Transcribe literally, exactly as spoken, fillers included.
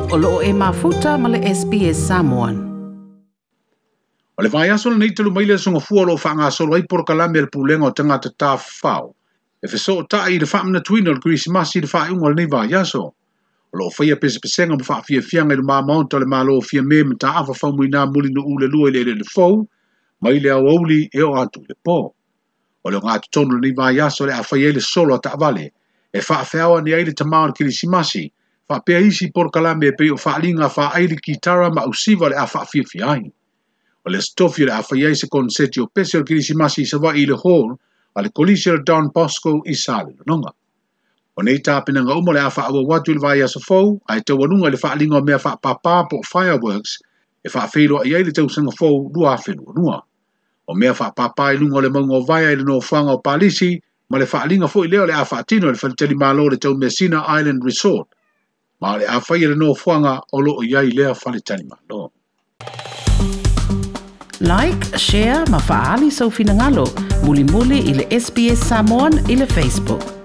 O loo e mafuta ma le S B S Samoan. O le vaiaso lenei talu mai le aso Gafua o lo o faagasolo ai polokalame a le Pulega o Tagata Tafafao e fesootai i le faamanatuina o le Kerisimasi i le faaiuga o lenei vaiaso. O lo o faia pesepesega ma faafiafiaga i le mamaota o le Malo o Fiame ma Taafa Faumuina Mulinuu le lua i le eleele fou, mai le aoauli e oo atu i le po. O le ogatotonu o lenei vaiaso o le a fai ai le solo a taavale e faafeao ane ai le tamā o le Kerisimasi, faapea isi polokalame e pei o faaliga faaili kitara ma ausiva o le a faafiafia ai. O le aso Tofi o le a fai ai se konseti o pese o le Kerisimasi i Savaii i le Hall a le Kolisi o le Don Bosco i Salelologa. O nei tapenaga uma o le a faaauau atu i le vaiaso fou, ae taualuga i le faaliga o mea faapapa po o fireworks e faafeiloai ai le tausaga fou lua afe lua lua. O mea faapapa i luga o le mauga o Vaea i le nofoaga o Palisi, ma le faaliga foi lea o le a faatino i le faletalimalo o le Taumeasina Island Resort, ma o le a faia le nofoaga o loo i ai lea faletalimalo. Like, share, ma faali sau finagalo. Mulimuli i le S B S Samoan i le Facebook.